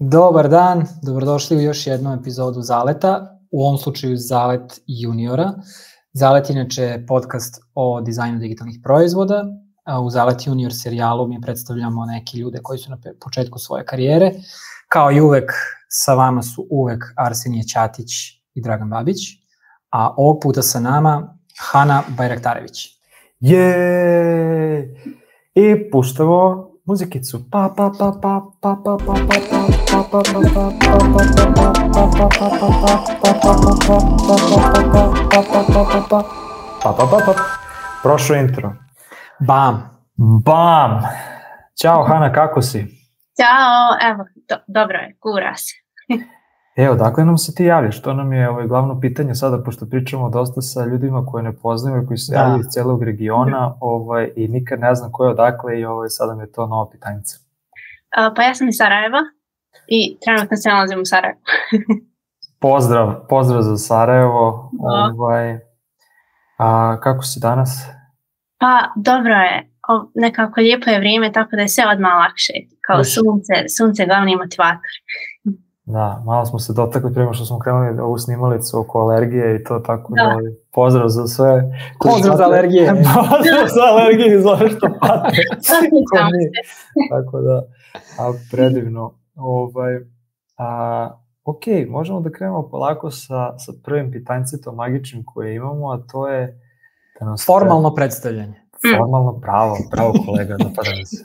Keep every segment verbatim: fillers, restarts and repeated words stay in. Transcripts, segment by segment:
Dobar dan, dobrodošli u još jednu epizodu Zaleta, u ovom slučaju Zalet juniora. Zalet inače je podcast o dizajnu digitalnih proizvoda. U Zalet junior serijalu mi predstavljamo neke ljude koji su na početku svoje karijere. Kao i uvek, sa vama su uvek Arsenije Ćatić i Dragan Babić, a ovog puta sa nama Hana Bajraktarević. Je! I puštamo muzikicu. Pa pa pa pa pa pa pa pa pa pa pa. Prošlo intro. Bam. Bam. Ćao Hana, kako si? Ćao, evo, do, dobro je, gura se. Evo, dakle nam se ti javljaš, to nam je ovaj, glavno pitanje sada, pošto pričamo dosta sa ljudima koje ne poznaju, koji se javljaju iz celog regiona ovaj, i nikad ne znam ko je odakle i ovaj, sada mi je to novo pitanjica. Uh, pa ja sam iz Sarajeva i trenutno se nalazim u Sarajevu. Pozdrav, pozdrav za Sarajevo. Ovaj, a kako si danas? Pa dobro je, o, nekako lijepo je vrijeme, tako da je sve odmah lakše, kao Još. sunce, sunce je glavni motivator. Da, malo smo se dotakli prema što smo krenuli ovu snimalicu oko alergije i to tako da, da pozdrav za sve. Pozdrav za alergije. Pozdrav za alergije i za ove što pate. Tako da, a predivno. Ovaj, a, ok, možemo da krenemo polako sa, sa prvim pitanjcetom magičnim koje imamo, a to je... Da nas formalno pre... predstavljanje. Formalno, pravo, pravo kolega, napadam se.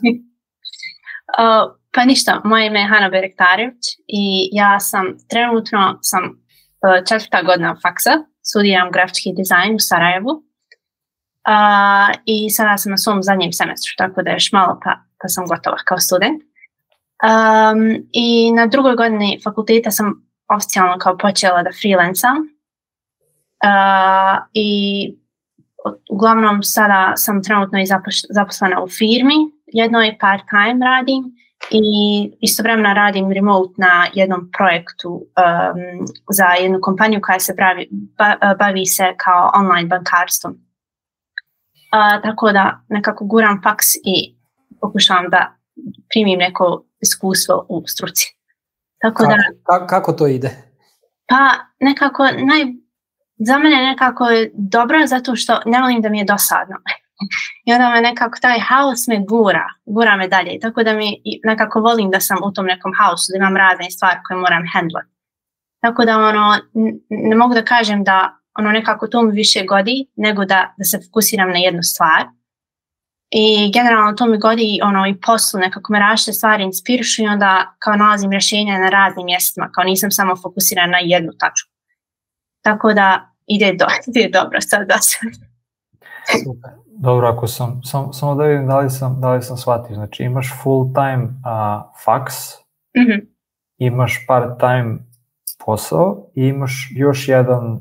Uh, pa ništa, moje ime je Hana Bajraktarević i ja sam trenutno sam uh, četvrta godina faksa, studiram grafički dizajn u Sarajevu uh, i sada sam na svom zadnjem semestru, tako da još malo pa, pa sam gotova kao student. Um, I na drugoj godini fakulteta sam oficijalno kao počela da freelancam uh, i uglavnom sada sam trenutno i zaposlena u firmi, jednoj part-time radim i istovremeno radim remote na jednom projektu um, za jednu kompaniju koja se bavi, ba, bavi se kao online bankarstvom. Uh, tako da nekako guram faks i pokušavam da primim neko iskustvo u struci. Tako kako, da, kako, kako to ide? Pa nekako, naj, za mene nekako je dobro zato što ne volim da mi je dosadno. I onda me nekako taj haos me gura, gura me dalje. Tako da mi nekako volim da sam u tom nekom haosu, da imam razne stvari koje moram handlati. Tako da ono, ne mogu da kažem da ono nekako to mi više godi, nego da, da se fokusiram na jednu stvar. I generalno to mi godi ono i poslu, nekako me različite stvari inspirišu i onda kao nalazim rješenja na raznim mjestima, kao nisam samo fokusirana na jednu tačku. Tako da ide, do, ide dobro sad da se... Super. Dobro, ako sam, sam, samo da vidim da li sam, da li sam shvatio, znači imaš full time uh, faks, mm-hmm. imaš part time posao i imaš još jedan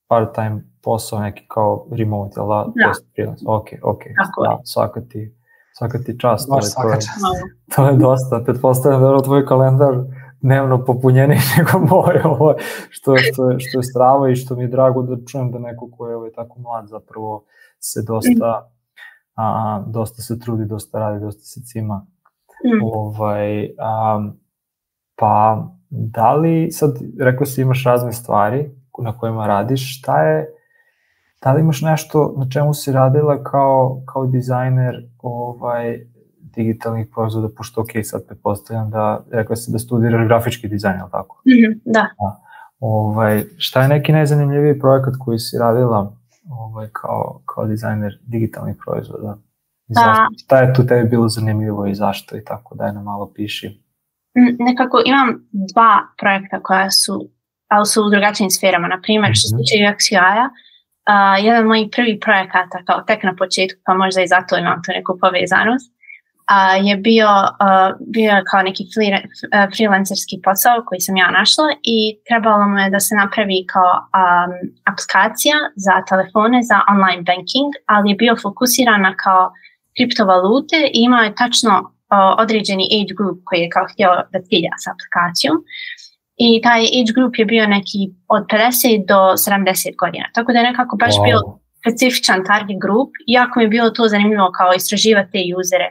part time posao, neki kao remote, jel da? Da. Freelance. Ok, ok, da, svaka ti, svaka ti čast. Baš svaka to, čast. Je, to je dosta, pretpostavljam da je tvoj kalendar dnevno popunjeniji nego moj, ovo, što, što, je, što je stravo i što mi je drago da čujem da neko ko je ovaj, tako mlad zapravo se dosta, a, dosta se trudi, dosta radi, dosta se cima. Mm. Ovaj, a, pa da li, sad rekao si imaš razne stvari na kojima radiš, šta je, da li imaš nešto na čemu si radila kao, kao dizajner ovaj, digitalnih proizvoda, pošto ok, sad pretpostavljam da rekao si da studiraš grafički dizajn, je li tako? Mm-hmm, da. da. Ovaj, šta je neki najzanimljiviji projekat koji si radila ovaj, kao, kao dizajner digitalnih proizvoda? Da. Šta je tu tebi bilo zanimljivo i zašto i tako, daj nam malo piši. Nekako imam dva projekta koja su, ali su u drugačijim sferama, na primjer što se tiče U X U I-a, uh, jedan od mojih prvih projekata, kao tek na početku, pa možda i zato imam tu neku povezanost, uh, je bio, uh, bio kao neki uh, freelancerski posao koji sam ja našla i trebalo mu je da se napravi kao um, aplikacija za telefone za online banking, ali je bio fokusiran na kao kriptovalute i imao je tačno uh, određeni age group koji je kao htio da cilja s aplikacijom. I taj age group je bio neki od pedeset do sedamdeset godina. Tako da je nekako baš wow. bio specifičan target group. Iako mi je bilo to zanimljivo kao istraživati te usere.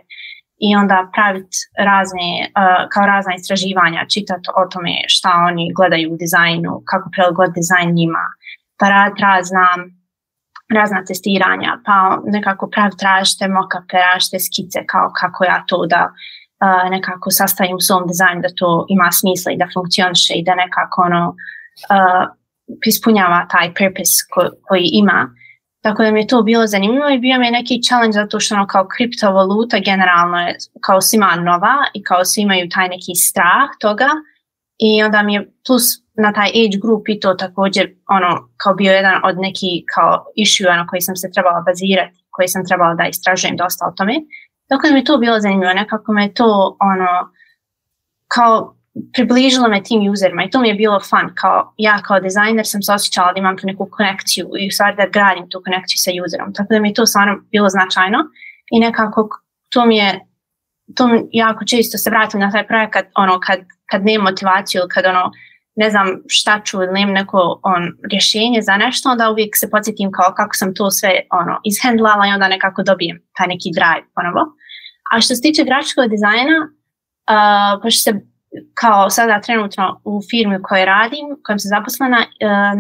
i onda praviti razne, uh, kao razna istraživanja, čitati o tome šta oni gledaju u dizajnu, kako prilagoditi dizajn njima, pa raditi razna, razna testiranja, pa nekako praviti različite mock-upe, različite skice, kao kako ja to da uh, nekako sastavim u svom dizajnu, da to ima smisla i da funkcioniše i da nekako ono, uh, ispunjava taj purpose ko, koji ima. Tako da mi je to bilo zanimljivo i bio mi je neki challenge zato što ono kao kriptovaluta generalno je kao svima nova i kao svi imaju taj neki strah toga i onda mi je plus na taj age group i to također ono kao bio jedan od neki kao issue na koji sam se trebala bazirati, koji sam trebala da istražujem dosta o tome. Tako da mi je to bilo zanimljivo, nekako me to ono kao približilo me tim userima i to mi je bilo fun, kao ja kao dizajner sam se osjećala da imam tu neku konekciju i u stvari da gradim tu konekciju sa userom, tako da mi je to stvarno bilo značajno i nekako to mi je, to mi jako često se vratim na taj projekat, ono kad, kad nemam motivaciju ili kad ono ne znam šta ću ili nemam neko on, rješenje za nešto, onda uvijek se podsjetim kao kako sam to sve ono, izhendlala i onda nekako dobijem taj neki drive ponovo. A što se tiče grafičkog dizajna, uh, pošto se kao sada trenutno u firmi u kojoj radim, u kojem sam zaposlena,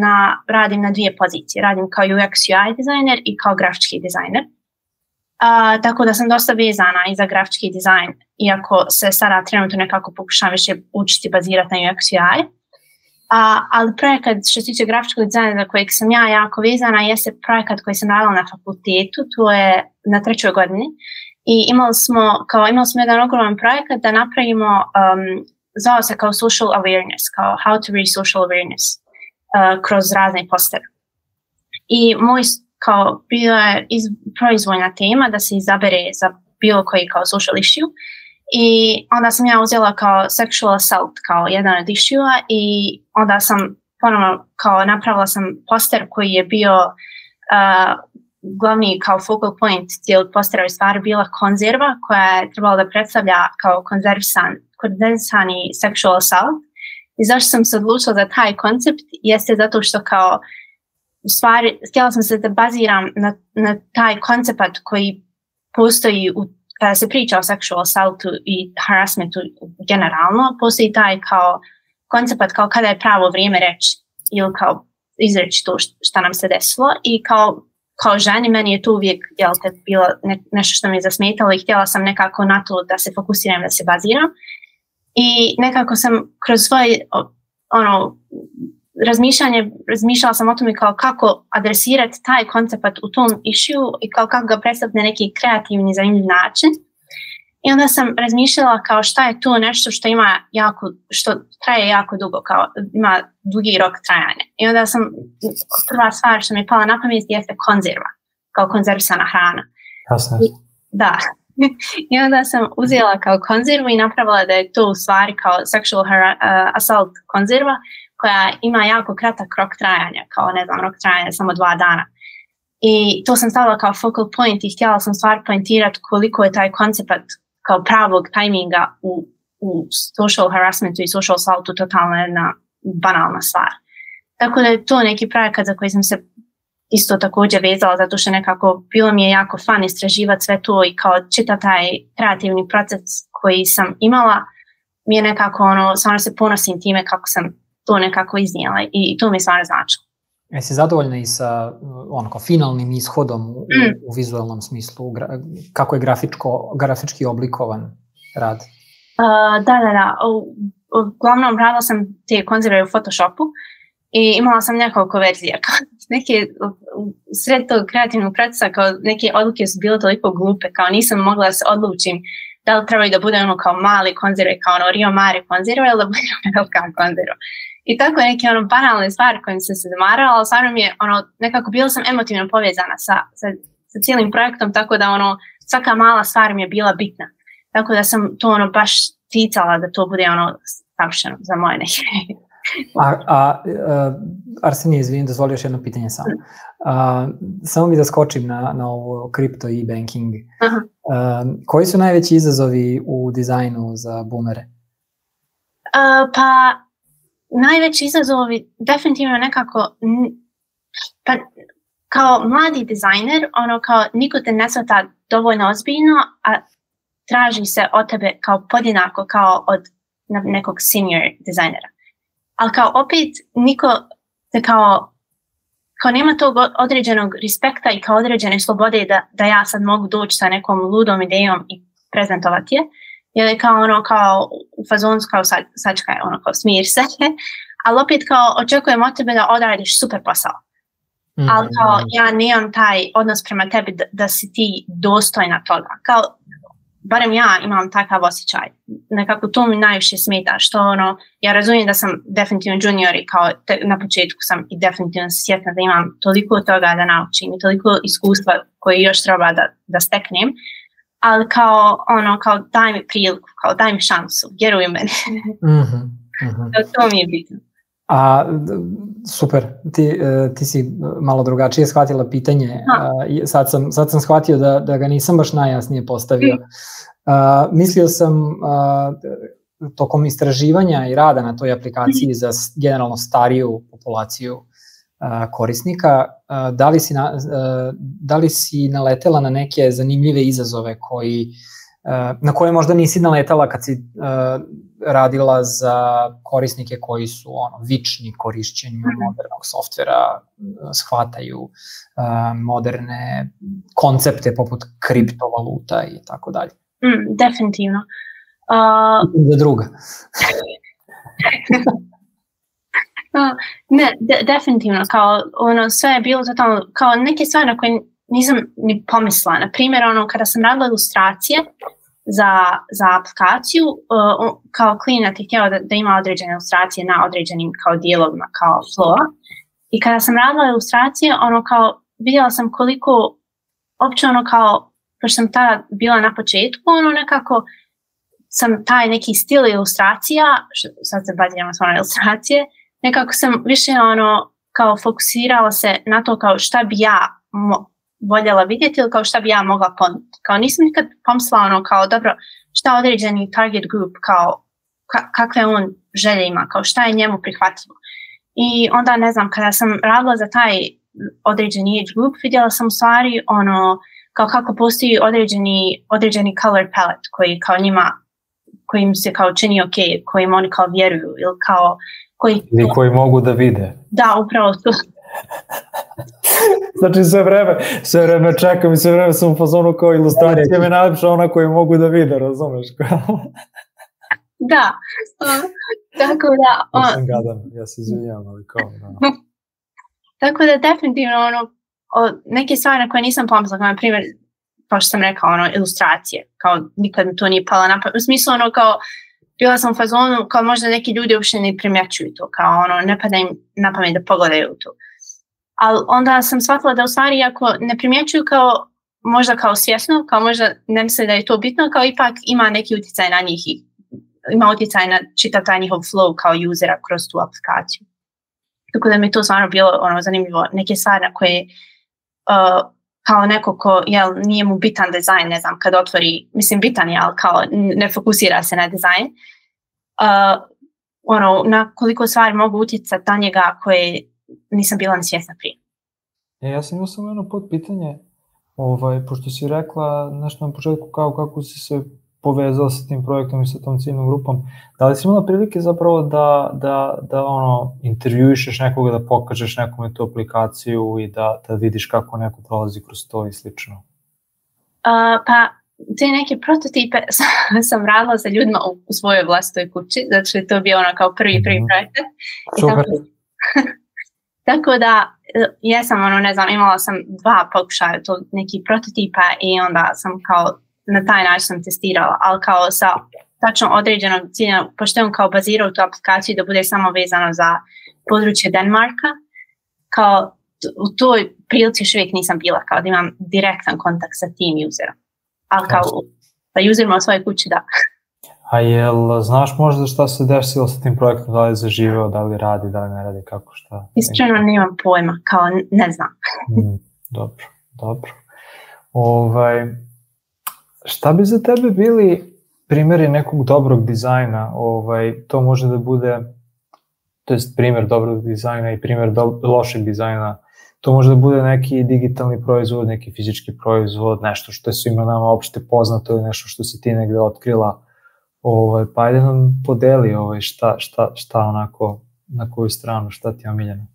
na, radim na dvije pozicije. Radim kao U X U I dizajner i kao grafički dizajner. Uh, tako da sam dosta vezana i za grafički dizajn, iako se sada trenutno nekako pokušam više učiti bazirati na U X U I. Uh, ali projekat što se tiče grafičkog dizajna za kojeg sam ja jako vezana jeste projekat koji sam radila na fakultetu, to je na trećoj godini. I imali smo, kao, imali smo jedan ogroman projekat da napravimo um, zvao se kao social awareness, kao how to reach social awareness uh, kroz razne postere. I moj kao bio je iz, proizvoljna tema da se izabere za bilo koji kao social issue i onda sam ja uzela kao sexual assault kao jedan od issue-a i onda sam ponovno kao napravila sam poster koji je bio uh, glavni kao focal point cijelog postera je stvar bila konzerva koja je trebala da predstavlja kao konzervisan konzervisani sexual assault. I zašto sam se odlučila za taj koncept jeste zato što kao u stvari htjela sam se da baziram na, na taj koncept koji postoji u, kada se priča o sexual assaultu i harassmentu generalno, postoji taj kao koncept kao kada je pravo vrijeme reći ili kao izreći to što nam se desilo i kao kao ženi, meni je to uvijek jel, te, bilo ne, nešto što mi je zasmetalo i htjela sam nekako na to da se fokusiram, da se baziram. I nekako sam kroz svoje ono, razmišljanje, razmišljala sam o tome kao kako adresirati taj koncept u tom issue i kao kako ga predstaviti na neki kreativni, zanimljiv način. I onda sam razmišljala kao šta je to nešto što ima jako, što traje jako dugo, kao ima dugi rok trajanja. I onda sam, prva stvar što mi je pala na pamet jeste konzerva, kao konzervisana hrana. Jasno. I, da. I onda sam uzela kao konzervu i napravila da je to u stvari kao sexual hara, uh, assault konzerva koja ima jako kratak rok trajanja, kao ne znam, rok trajanja samo dva dana. I to sam stavila kao focal point i htjela sam stvar pointirati koliko je taj koncept kao pravog tajminga u, u social harassmentu i social assaultu totalno jedna banalna stvar. Tako da je to neki projekat za koji sam se isto također vezala zato što nekako bilo mi je jako fun istraživati sve to i kao čita taj kreativni proces koji sam imala mi je nekako ono, stvarno se ponosim time kako sam to nekako iznijela i to mi je stvarno značilo. Jesi zadovoljna i sa ono, kao finalnim ishodom u, mm. u vizualnom smislu? Gra, kako je grafičko, grafički oblikovan rad? Uh, da, da, da. Uglavnom radila sam te konzerve u Photoshopu i imala sam nekoliko verzija. Neke, u sred tog kreativnog procesa, kao neke odluke su bile toliko glupe, kao nisam mogla da se odlučim da li trebaju da bude ono kao mali konzerve, kao ono Rio Mare konzerve ili da bude velika konzerva. I tako neke ono banalne stvari kojim sam se zamarala, ali stvarno mi je ono, nekako bila sam emotivno povezana sa, sa, sa cijelim projektom, tako da ono, svaka mala stvar mi je bila bitna. Tako da sam to ono baš ticala da to bude ono savršeno za moje neke. A, a, a Arsenije, izvinim, dozvoli još jedno pitanje samo. A, samo mi da skočim na, na ovo kripto i banking. Uh-huh. A, koji su najveći izazovi u dizajnu za boomere? Uh, pa najveći izazovi definitivno nekako pa, kao mladi dizajner, ono kao niko te ne shvata dovoljno ozbiljno, a traži se od tebe kao podjednako kao od nekog senior dizajnera. Ali kao opet niko te kao, kao nema tog određenog respekta i kao određene slobode da, da ja sad mogu doći sa nekom ludom idejom i prezentovati je. Jer je kao ono kao u fazonu kao sad, sačkaj, ono kao smir se. Ali opet kao očekujem od tebe da odradiš super posao. Mm-hmm. Ali kao ja nemam taj odnos prema tebi da, da si ti dostojna toga. Kao, barem ja imam takav osjećaj. Nekako to mi najviše smeta. Što ono, ja razumijem da sam definitivno junior i kao te, na početku sam i definitivno svjesna da imam toliko toga da naučim i toliko iskustva koje još treba da, da steknem. Ali kao ono, kao daj mi priliku, kao daj mi šansu, vjeruj meni. Mm-hmm. Mm-hmm. To mi je bitno. A, super, ti, ti si malo drugačije shvatila pitanje, a, sad, sam, sad sam shvatio da, da ga nisam baš najjasnije postavio. A, mislio sam a, tokom istraživanja i rada na toj aplikaciji za generalno stariju populaciju a, korisnika, a, da, li si na, a, da li si naletela na neke zanimljive izazove koji na koje možda nisi naletala kad si uh, radila za korisnike koji su ono, vični korišćenju mm-hmm. modernog softvera, shvataju uh, moderne koncepte poput kriptovaluta i tako dalje. Mm, definitivno. Uh, za druga. uh, ne, de, definitivno. Kao, ono, sve je bilo totalno, kao neke stvari na koje nisam ni pomislila. Na primjer, ono, kada sam radila ilustracije za, za aplikaciju, uh, kao klijent je htjela da, da ima određene ilustracije na određenim kao dijelovima, kao flowa. I kada sam radila ilustracije, ono, kao, vidjela sam koliko, opće ono, kao, pošto sam tada bila na početku, ono, nekako sam taj neki stil ilustracija, što, sad se baziramo samo na ilustracije, nekako sam više, ono, kao fokusirala se na to kao šta bi ja mo- voljela vidjeti ili kao šta bi ja mogla ponuditi. Kao nisam nikad pomislila ono kao dobro šta određeni target group kao ka- kakve on želje ima, kao šta je njemu prihvatljivo. I onda ne znam, kada sam radila za taj određeni age group, vidjela sam u stvari ono kao kako postoji određeni, određeni color palette koji kao njima, koji im se kao čini ok, kojim oni kao vjeruju ili kao koji... Ili koji mogu da vide. Da, upravo to. Znači sve vreme, sve vreme čekam i sve vreme sam u fazonu kao ilustracija me najlepša ona koju mogu da vide, razumeš? Da, uh, tako da... Uh, ja sam gadan, ja se izvinjam, ali kao... Da. Tako da definitivno ono, o, neke stvari na koje nisam pomislila, kao na primjer, kao što sam rekao, ono, ilustracije, kao nikad mi to nije pala na pamet, u smislu ono kao, bila sam u fazonu, kao možda neki ljudi uopšte ne primjećuju to, kao ono, ne pada im na pamet da pogledaju to. Ali onda sam shvatila da u stvari ako ne primjećuju kao, možda kao svjesno, kao možda ne misle da je to bitno, kao ipak ima neki utjecaj na njih i ima utjecaj na čitav taj njihov flow kao usera kroz tu aplikaciju. Tako da mi to stvarno bilo ono, zanimljivo, neke stvari na koje uh, kao neko ko jel, nije mu bitan dizajn, ne znam, kad otvori, mislim bitan je, ali kao ne fokusira se na dizajn, uh, ono, na koliko stvari mogu utjecati na njega koje nisam bila ni svjesna prije. E, ja sam imao samo jedno potpitanje, ovaj, pošto si rekla nešto na početku kao kako si se povezala sa tim projektom i sa tom ciljnom grupom, da li si imala prilike zapravo da, da, da ono, intervjuišeš nekoga, da pokažeš nekome tu aplikaciju i da, da vidiš kako neko prolazi kroz to i slično? Uh, pa, te neke prototipe sam radila sa ljudima u, u svojoj vlastitoj kući, zato što je to bio ono kao prvi, prvi projekt. Super. Tako da, jesam, ono, ne znam, imala sam dva pokušaja to neki prototipa i onda sam kao, na taj način sam testirala, ali kao sa tačno određenog cilja, pošto je on kao bazirao tu aplikaciju da bude samo vezano za područje Denmarka, kao u toj prilici još uvijek nisam bila, kao da imam direktan kontakt sa tim userom. Ali kao sa userima u svojoj kući, da. A jel znaš možda šta se desilo sa tim projektom, da li je zaživeo, da li radi, da li ne radi, kako, šta? Iskreno nemam pojma, kao ne znam. mm, dobro, dobro. Ovaj, šta bi za tebe bili primjeri nekog dobrog dizajna? Ovaj, to može da bude, to jest primjer dobrog dizajna i primjer do, lošeg dizajna to može da bude neki digitalni proizvod, neki fizički proizvod, nešto što je svima nama opšte poznato ili nešto što si ti negde otkrila. Ovaj, pa ajde nam podeli ovaj, šta, šta, šta onako, na koju stranu, šta ti je omiljeno.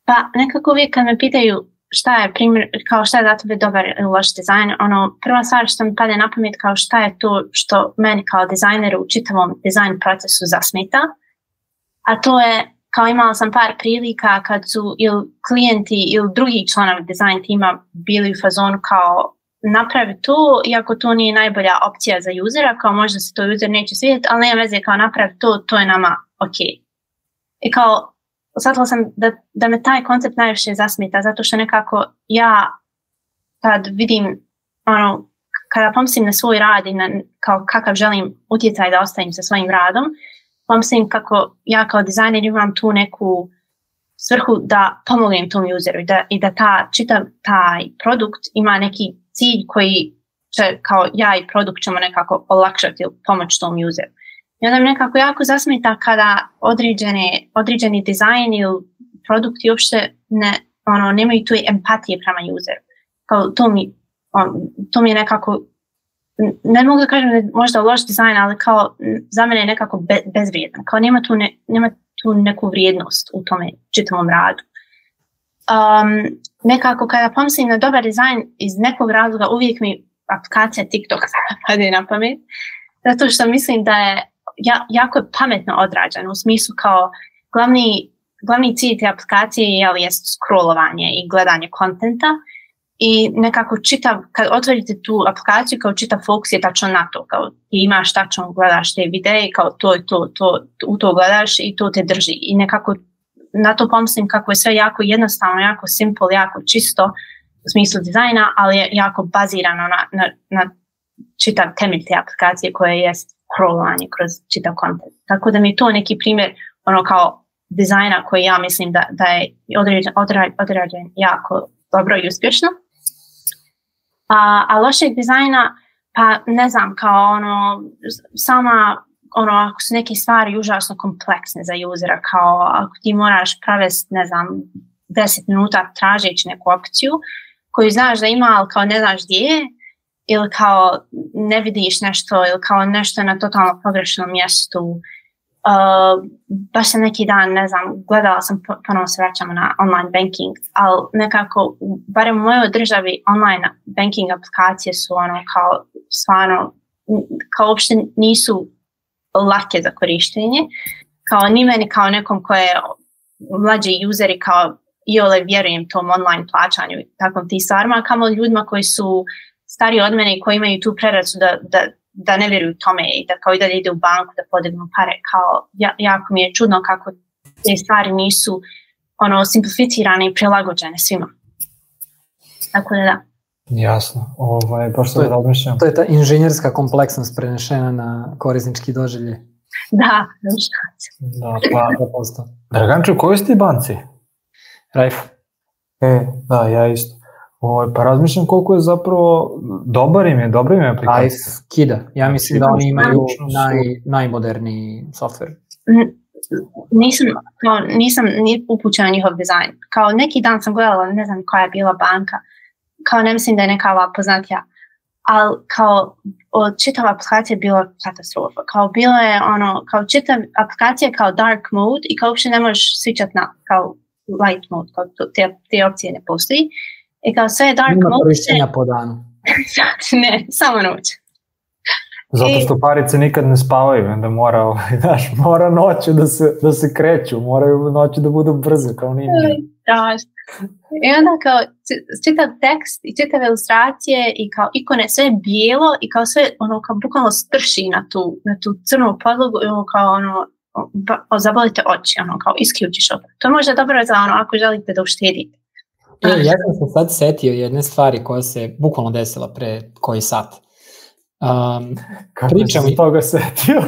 Pa nekako uvijek kad me pitaju šta je primjer, kao šta je za tebe dobar ili loš dizajn, ono, prva stvar što mi padne na pamet kao šta je to što meni kao dizajneru u čitavom dizajn procesu zasmeta, a to je, kao imala sam par prilika kad su ili klijenti ili drugi članovi dizajn tima bili u fazonu kao napravi to, iako to nije najbolja opcija za usera, kao možda se to user neće svidjeti, ali nema veze, kao napravi to, to je nama ok. I kao, shvatila sam da, da me taj koncept najviše zasmeta, zato što nekako ja kad vidim, ono, kada pomislim na svoj rad i na kao kakav želim utjecaj da ostavim sa svojim radom, pomislim kako ja kao dizajner imam tu neku svrhu da pomognem tom useru i da, i da ta, čitav taj produkt ima neki cilj koji će, kao ja i produkt ćemo nekako olakšati ili pomoći tom useru. I onda mi nekako jako zasmeta kada određene, određeni dizajn ili produkti uopšte ne, ono, nemaju tu empatije prema useru. Kao to mi, on, to mi je nekako, ne mogu da kažem da je možda loš dizajn, ali kao za mene je nekako be, bezvrijedan. Kao nema tu, ne, nema tu neku vrijednost u tome čitavom radu. Um, nekako kada pomislim na dobar dizajn iz nekog razloga uvijek mi aplikacija TikTok pade na pamet, zato što mislim da je ja, jako je pametno odrađeno u smislu kao glavni, glavni cilj te aplikacije je, je scrollovanje i gledanje kontenta i nekako čitav, kad otvorite tu aplikaciju kao čitav fokus je tačno na to, kao ti imaš tačno gledaš te videe, kao to je to, to, u to gledaš i to te drži i nekako na to pomislim kako je sve jako jednostavno, jako simple, jako čisto u smislu dizajna, ali je jako bazirano na, na, na čitav temelj te aplikacije koje je scrollovanje kroz čitav kontent. Tako da mi je to neki primjer ono kao dizajna koji ja mislim da, da je određen, određen jako dobro i uspješno. A, a lošeg dizajna, pa ne znam, kao ono, sama, ono, ako su neke stvari užasno kompleksne za usera, kao ako ti moraš provesti, ne znam, deset minuta tražeći neku opciju koju znaš da ima, ali kao ne znaš gdje je, ili kao ne vidiš nešto, ili kao nešto na totalno pogrešnom mjestu. Uh, baš sam neki dan, ne znam, gledala sam, ponovno se vraćamo na online banking, ali nekako, barem u mojoj državi, online banking aplikacije su ono kao stvarno, kao uopšte nisu lake za korištenje, kao ni meni kao nekom koje je mlađi useri, kao i ole vjerujem tom online plaćanju i takvom ti stvarima, kamo ljudima koji su stariji od mene i koji imaju tu preracu da, da, da ne vjeruju tome i da kao i dalje ide u banku da podignu pare, kao ja, jako mi je čudno kako te stvari nisu ono simplificirane i prilagođene svima. Tako da da. Jasno, ovaj, baš to, sam razmišljam. To je ta inženjerska kompleksnost prenešena na korisnički doživljaj. Da, da, pa, Draganče, u kojoj si ti banci? Rajf. E, da, ja isto. O, pa razmišljam koliko je zapravo dobar im je, dobro im je aplikacija. Rajf kida. Ja mislim da oni imaju naj, najmoderniji software. Nisam, kao, nisam ni upućena njihov dizajn. Kao neki dan sam gledala, ne znam koja je bila banka, kao ne mislim da je neka ova poznatija, ali kao od čitava aplikacija je bila katastrofa. Kao bilo je ono, kao čitav aplikacija kao dark mode i kao uopšte ne možeš switchat na kao light mode, kao to, te, te opcije ne postoji. I kao sve je dark Nima mode. korištenja po danu. Ne, samo noć. Zato što parice nikad ne spavaju, onda mora, ovaj, znaš, mora noću da se, da se kreću, moraju noću da budu brze, kao ninja. Da, i onda kao čitav tekst i čitave ilustracije i kao ikone, sve je bijelo i kao sve ono kao bukvalno strši na tu, na tu crnu podlogu i ono kao ono, ba, zabolite oči, ono kao isključiš opet. To je možda dobro za ono ako želite da uštedite. E, ja sam se sad setio jedne stvari koja se bukvalno desila pre koji sat. Um, Kako pričam si toga setio?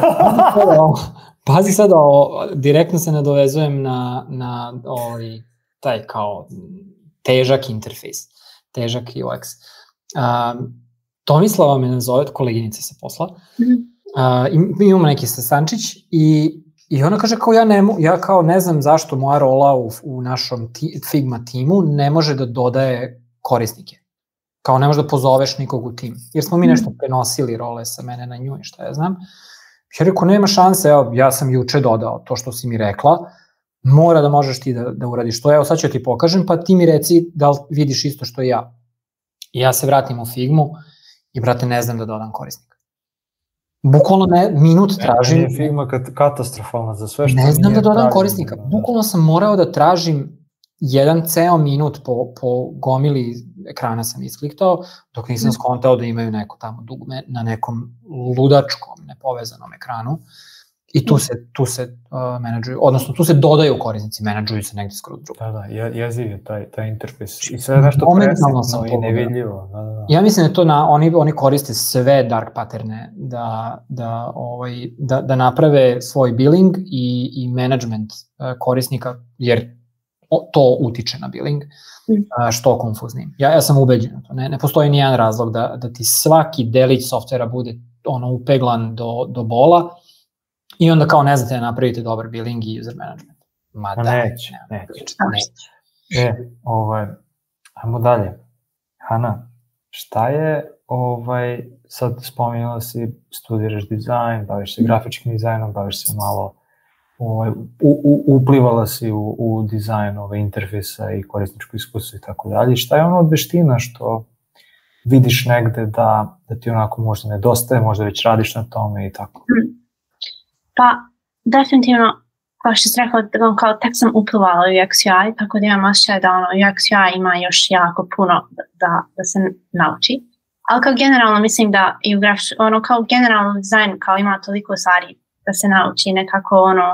Pazi sad, o, direktno se nadovezujem na, na ovaj, taj kao težak interfejs, težak U X. Um, Tomislava me nazove, koleginica sa posla. Mm-hmm. Uh, imamo neki sastančić i I ona kaže kao ja ne, ja kao ne znam zašto moja rola u, u našom ti, Figma timu ne može da dodaje korisnike. Kao ne može da pozoveš nikog u tim. Jer smo mi nešto prenosili role sa mene na nju i šta ja znam. Ja rekao, nema šanse, evo, ja sam juče dodao to što si mi rekla, mora da možeš ti da, da uradiš to, evo sad ću ti pokažem, pa ti mi reci da li vidiš isto što i ja. I ja se vratim u Figmu i, brate, ne znam da dodam korisnika. Bukvalno ne, minut tražim. Ne, nije Figma katastrofalna za sve što ne znam da dodam tražim, korisnika. Bukvalno sam morao da tražim jedan ceo minut po, po gomili ekrana sam iskliktao, dok nisam skontao da imaju neko tamo dugme na nekom ludačkom, nepovezanom ekranu. I tu se, tu se uh, menadžuju, odnosno tu se dodaju korisnici, menadžuju se negde skoro drugo. Da, da, jeziv je taj, taj interfejs. I sve je nešto presitno i nevidljivo. Da, da. Ja mislim da to na, oni, oni koriste sve dark patterne da, da, ovaj, da, da naprave svoj billing i, i management uh, korisnika, jer to utiče na billing, uh, što konfuznim. Ja, ja sam ubeđen na to. Ne, ne postoji nijedan razlog da, da ti svaki delić softvera bude ono upeglan do, do bola, i onda kao ne znate da napravite dobar billing i user management. Ma da, neće, neće. neće. E, ovaj, ajmo dalje. Hana, šta je, ovaj, sad spominjala si, studiraš dizajn, baviš se grafičkim dizajnom, baviš se malo, ovaj, u, u, uplivala si u, u dizajn ove interfejsa i korisničko iskustvo i tako dalje. Šta je ono od veština što vidiš negde da, da ti onako možda nedostaje, možda već radiš na tome i tako? Hmm. Pa, definitivno, kao što sam rekla, kao tek sam uplivala u U X U I, tako da imam osjećaj da ono, U X U I ima još jako puno da, da se nauči. Ali kao generalno mislim da i u graf, ono, kao generalno dizajn kao ima toliko stvari da se nauči, nekako ono,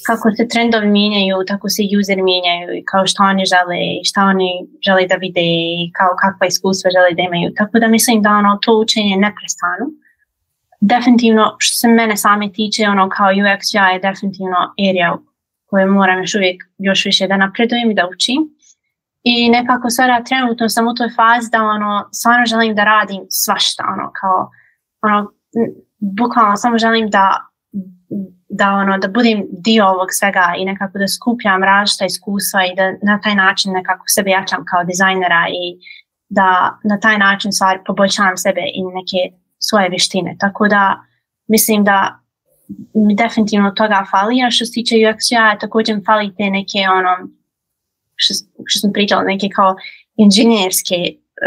kako se trendovi mijenjaju, tako se useri mijenjaju i kao što oni žele i šta oni žele da vide i kao kakva iskustva žele da imaju. Tako da mislim da ono, to učenje ne prestanu. Definitivno, što se mene same tiče, ono kao U X U I je definitivno area koju moram još uvijek još više da napredujem i da učim. I nekako sada trenutno sam u toj fazi da ono, stvarno želim da radim svašta, ono kao, ono, bukvalno samo želim da, da, ono, da budem dio ovog svega i nekako da skupljam različita iskustva i da na taj način nekako sebe jačam kao dizajnera i da na taj način stvari poboljšavam sebe i neke svoje vještine, tako da mislim da mi definitivno toga fali, a što se tiče U X U I također mi fali te neke ono, što, što sam pričala, neke kao inženjerske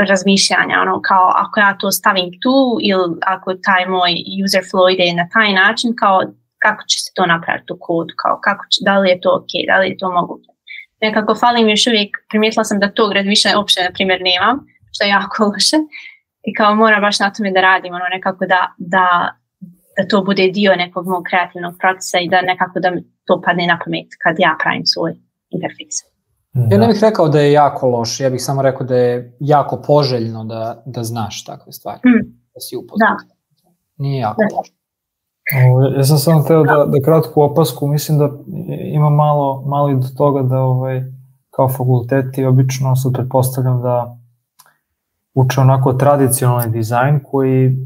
razmišljanja, ono kao ako ja to stavim tu ili ako taj moj user flow ide na taj način, kao kako će se to napraviti u kodu, kao kako će, da li je to ok, da li je to moguće. Nekako fali mi još uvijek, primijetila sam da tog više uopće na primjer nemam, što je jako loše. I kao moram baš na tome da radim, ono nekako da, da, da to bude dio nekog mog kreativnog procesa i da nekako da mi to padne na pamet kad ja pravim svoj interfejs. Ja ne bih rekao da je jako loš, ja bih samo rekao da je jako poželjno da, da znaš takve stvari, mm. da si upoznat. Da. Nije jako da. loš. O, ja sam samo hteo da, da kratku opasku, mislim da ima malo, malo i do toga da ovaj, kao fakulteti obično sad pretpostavljam da uče onako tradicionalni dizajn koji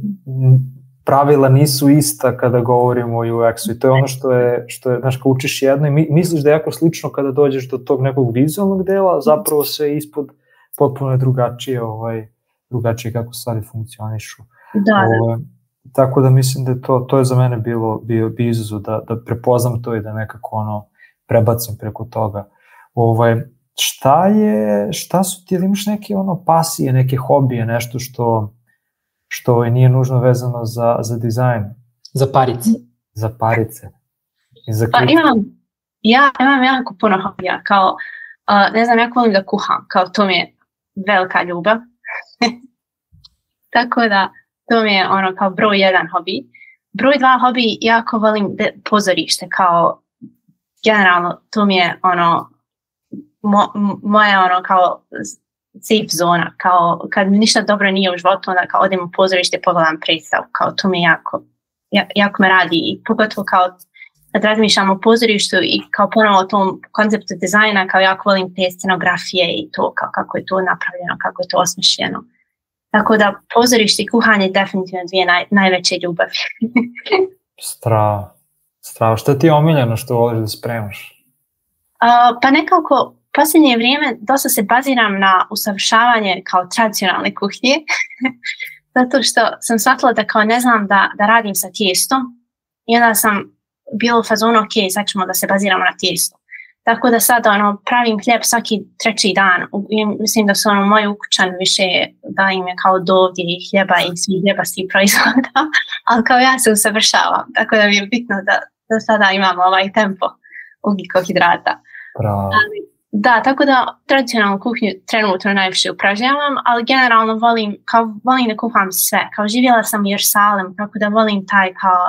pravila nisu ista kada govorimo o U X-u i to je ono što je, što je, znaš, kao učiš jedno i misliš da je jako slično kada dođeš do tog nekog vizualnog dela, zapravo se ispod potpuno je drugačije, ovaj, drugačije kako stvari funkcionišu. Da, ovaj, tako da mislim da je to, to je za mene bilo, bio, bio izazov da, da prepoznam to i da nekako ono prebacim preko toga. Ovaj, Šta je, šta su ti, imaš neke ono pasije, neke hobije, nešto što, što nije nužno vezano za, za dizajn? Za parice. Za parice. I za pa imam, ja imam jako puno hobija, kao, uh, ne znam, ja volim da kuham, kao to mi je velika ljubav. Tako da, to mi je ono kao broj jedan hobi. Broj dva hobi, jako volim pozorište, kao generalno, to mi je ono, Mo, moja ono kao safe zona, kao kad mi ništa dobro nije u životu, onda kao odem u pozorište i pogledam predstavu, kao to mi jako, jako me radi i pogotovo kao kad razmišljam o pozorištu i kao ponovo o tom konceptu dizajna, kao jako volim te scenografije i to, kao kako je to napravljeno, kako je to osmišljeno. Tako da pozorište i kuhanje definitivno dvije naj, najveće ljubavi. Strava. Strava, šta ti je omiljeno što voliš da spremaš? Uh, pa nekako, posljednje vrijeme dosta se baziram na usavršavanje kao tradicionalne kuhnje, zato što sam shvatila da kao ne znam da, da radim sa tijestom i onda sam bila u fazonu, ok, sad ćemo da se baziramo na tijesto. Tako da sad ono, pravim hljeb svaki treći dan. I mislim da su ono, moji ukućani više da im je kao dovdje i hljeba i svih hljebastih proizvoda, ali kao ja se usavršavam. Tako da mi je bitno da, da sada imamo ovaj tempo ugljikohidrata. Ali, da, tako da tradicionalnu kuhnju trenutno najviše upražnjavam, ali generalno volim, kao, volim da kuham sve. Kao živjela sam u Jerusalem, tako da volim taj kao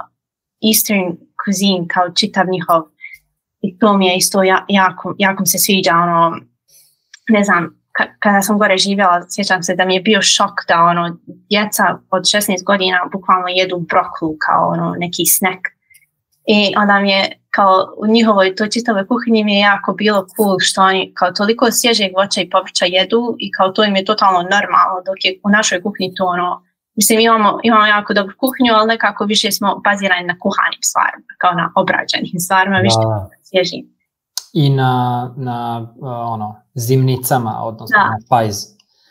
Eastern cuisine, kao čitav njihov. I to mi je isto jako, jako mi se sviđa, ono, ne znam, ka- kada sam gore živjela, sjećam se da mi je bio šok da ono, djeca od šesnaest godina bukvalno jedu brokulu kao ono, neki snack. I onda mi je kao u njihovoj toj čitavoj kuhinji mi je jako bilo cool što oni kao toliko svježeg voća i povrća jedu i kao to im je totalno normalno, dok je u našoj kuhinji to ono, mislim imamo, imamo jako dobru kuhinju, ali nekako više smo bazirani na kuhanim stvarima, kao na obrađenim stvarima, više svježim. I na, na uh, ono, zimnicama, odnosno da. Na pajz.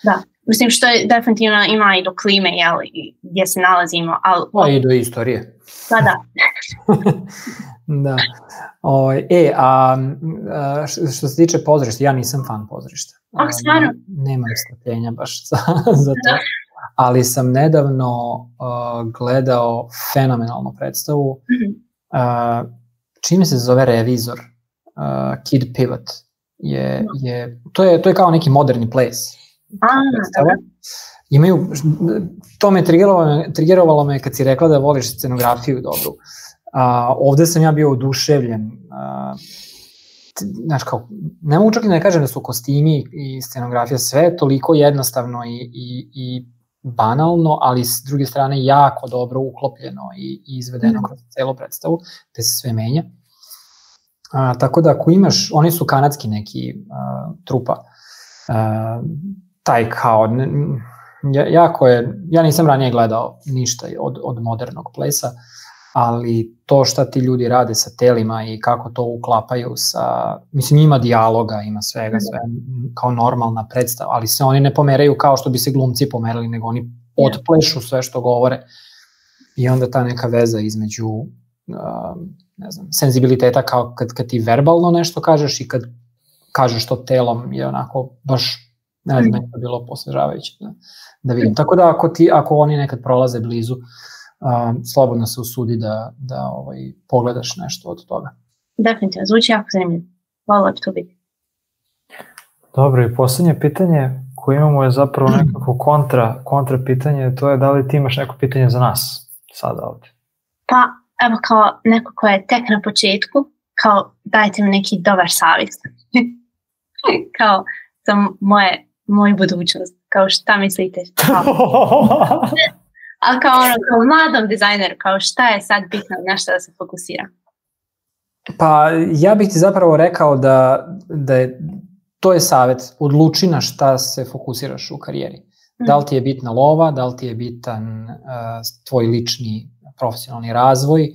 Da, mislim što je definitivno ima i do klime, jel, gdje se nalazimo. Ali, pa i do istorije. Da, da. Da. O, e, a, a što se tiče pozorišta, ja nisam fan pozorišta. Oh, stvarno? Nemam strpljenja baš za, za to. Da. Ali sam nedavno uh, gledao fenomenalnu predstavu. Mm-hmm. Uh, čime se zove Revizor? Uh, Kid Pivot. Je, je, to, je, to je kao neki moderni ples. A, imaju, to me triggerovalo, triggerovalo me kad si rekla da voliš scenografiju dobru. Uh, ovde sam ja bio oduševljen. Uh, znaš kao, ne mogu čak i ne kažem da su kostimi i scenografija sve toliko jednostavno i, i, i banalno, ali s druge strane jako dobro uklopljeno i, i izvedeno kroz celu predstavu, te se sve menja. A, tako da ako imaš, oni su kanadski neki a, trupa, a, taj kao, ne, jako je, ja nisam ranije gledao ništa od, od modernog plesa, ali to šta ti ljudi rade sa telima i kako to uklapaju sa, mislim ima dijaloga, ima svega, sve kao normalna predstava, ali se oni ne pomeraju kao što bi se glumci pomerali, nego oni otplešu sve što govore i onda ta neka veza između uh, ne znam, senzibiliteta kao kad, kad ti verbalno nešto kažeš i kad kažeš to telom je onako baš, ne znam, je to bilo posvežavajuće da, da vidim. Tako da ako, ti, ako oni nekad prolaze blizu, Uh, slobodno se usudi da, da ovaj, pogledaš nešto od toga. Definitivno, zvuči jako zanimljivo. Hvala bi to biti. Dobro, i posljednje pitanje koje imamo je zapravo nekako kontra, kontra pitanje, to je da li ti imaš neko pitanje za nas sada ovdje? Pa, evo kao neko ko je tek na početku, kao dajte mi neki dobar savjet. Kao za moje, moju budućnost, kao šta mislite? Kao... Ali kao, ono, kao mladom dizajneru, kao šta je sad bitno na što da se fokusira? Pa ja bih ti zapravo rekao da, da je, to je savjet, odluči na šta se fokusiraš u karijeri. Mm. Da li ti je bitna lova, da li ti je bitan uh, tvoj lični profesionalni razvoj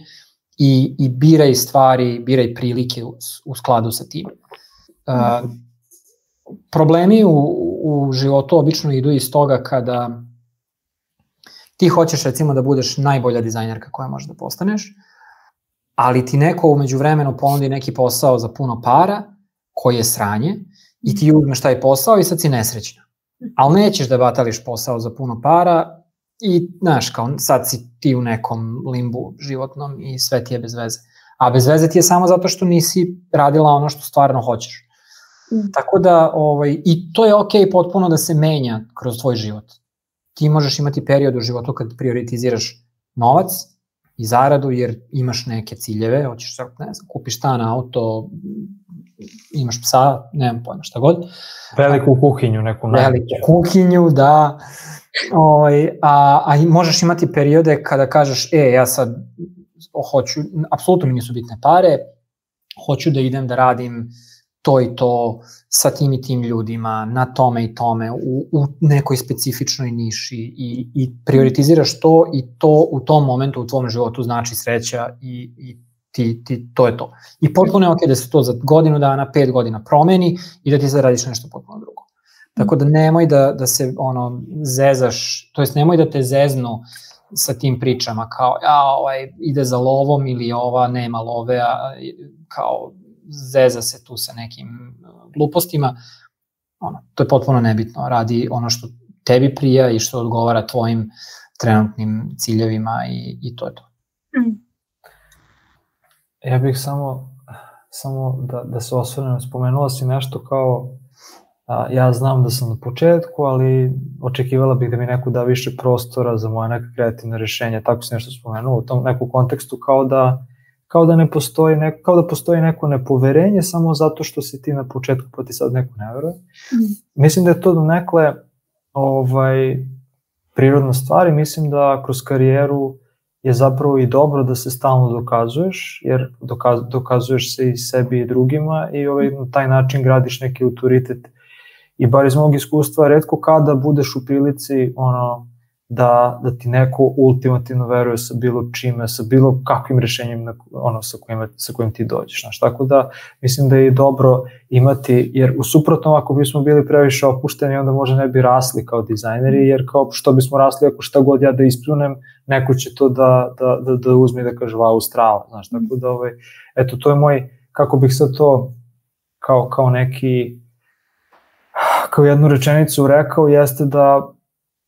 i, i biraj stvari, biraj prilike u, u skladu sa tim. Uh, problemi u, u životu obično idu iz toga kada ti hoćeš recimo da budeš najbolja dizajnerka koja možeš da postaneš, ali ti neko umeđu vremenu ponudi neki posao za puno para, koji je sranje, i ti uzmeš taj posao i sad si nesrećna. Ali nećeš da batališ posao za puno para i, znaš, kao sad si ti u nekom limbu životnom i sve ti je bez veze. A bez veze ti je samo zato što nisi radila ono što stvarno hoćeš. Mm. Tako da, ovaj, i to je okej potpuno da se menja kroz tvoj život. Ti možeš imati period u životu kad prioritiziraš novac i zaradu jer imaš neke ciljeve, hoćeš, ne znam, kupiš stan, auto, imaš psa, nemam pojma šta god. Veliku kuhinju, neku najveću. Veliku kuhinju, da. O, a, a možeš imati periode kada kažeš, e, ja sad hoću, apsolutno mi nisu bitne pare, hoću da idem da radim to i to sa tim i tim ljudima, na tome i tome, u, u nekoj specifičnoj niši i, i prioritiziraš to i to u tom momentu u tvom životu znači sreća i, i ti, ti, to je to. I potpuno je ok da se to za godinu dana, pet godina promeni i da ti sad radiš nešto potpuno drugo. Tako da nemoj da, da se ono zezaš, to jest nemoj da te zeznu sa tim pričama kao ja, ovaj, ide za lovom ili ova nema love, a, kao zeza se tu sa nekim glupostima. Ono, to je potpuno nebitno. Radi ono što tebi prija i što odgovara tvojim trenutnim ciljevima i, i to je to. Mm. Ja bih samo, samo da, da se osvrnem, spomenula si nešto kao a, ja znam da sam na početku, ali očekivala bih da mi neko da više prostora za moje neke kreativne rešenja, tako se nešto spomenuo u tom nekom kontekstu kao da kao da ne postoji neko, kao da postoji neko nepoverenje samo zato što si ti na početku pa ti sad neko ne veruje. Mm. Mislim da je to donekle ovaj, prirodna stvar i mislim da kroz karijeru je zapravo i dobro da se stalno dokazuješ, jer dokaz, dokazuješ se i sebi i drugima i ovaj, na taj način gradiš neki autoritet. I bar iz mog iskustva, retko kada budeš u prilici ono, da, da ti neko ultimativno veruje sa bilo čime, sa bilo kakvim rešenjem na, ono, sa, kojim, sa kojim ti dođeš. Znaš. Tako da mislim da je dobro imati, jer u suprotnom ako bismo bili previše opušteni, onda možda ne bi rasli kao dizajneri, jer kao što bismo rasli ako šta god ja da ispljunem, neko će to da, da, da, da uzme i da kaže wow, strava. Znaš. Tako da, ovaj, eto, to je moj, kako bih sad to kao, kao neki, kao jednu rečenicu rekao, jeste da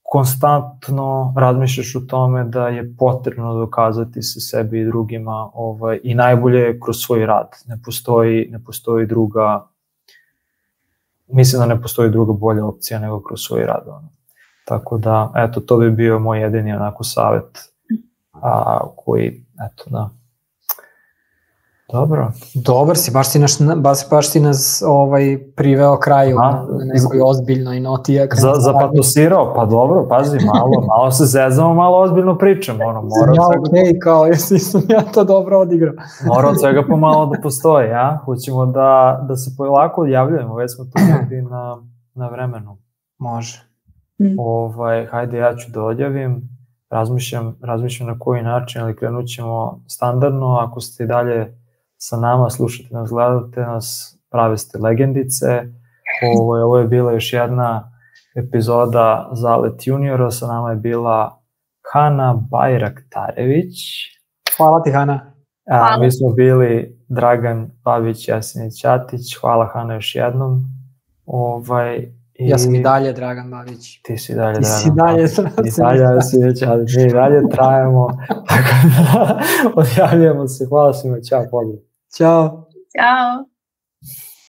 konstantno razmišljaš o tome da je potrebno dokazati se sebi i drugima ovaj, i najbolje kroz svoj rad. Ne postoji, ne postoji druga, mislim da ne postoji druga bolja opcija nego kroz svoj rad. Ono. Tako da, eto, to bi bio moj jedini onako savjet a, koji, eto, da. Dobro. Dobar si, baš si, naš, baš, baš si nas ovaj, priveo kraju a, na nekoj ozbiljnoj noti. Za, zapatosirao, pa dobro, pazi, malo, malo se zezamo, malo ozbiljno pričamo. Ono, mora ja, okej, okay, kao, jesi sam ja to dobro odigrao. Mora od svega pomalo da postoji, ja? Hoćemo da, da se polako odjavljujemo, već smo tu negdje na, na vremenu. Može. Mm. Ovaj, hajde, ja ću da odjavim, razmišljam, razmišljam na koji način, ali krenut ćemo standardno, ako ste dalje sa nama, slušate nas, gledate nas, prave ste legendice. Ovo je, ovo je bila još jedna epizoda Zalet juniora, sa nama je bila Hana Bajraktarević. Hvala ti, Hana. A, mi smo bili Dragan Babić, Jasinić Ćatić. Hvala, Hana, još jednom. Ovaj, i... Ja sam i dalje Dragan Babić. Ti si dalje ti Dragan si dalje Babić. I dalje Jasinić Ćatić. Mi dalje trajemo. Tako da odjavljamo se. Hvala svima. Ćao, pozdrav. Ćao. Ćao.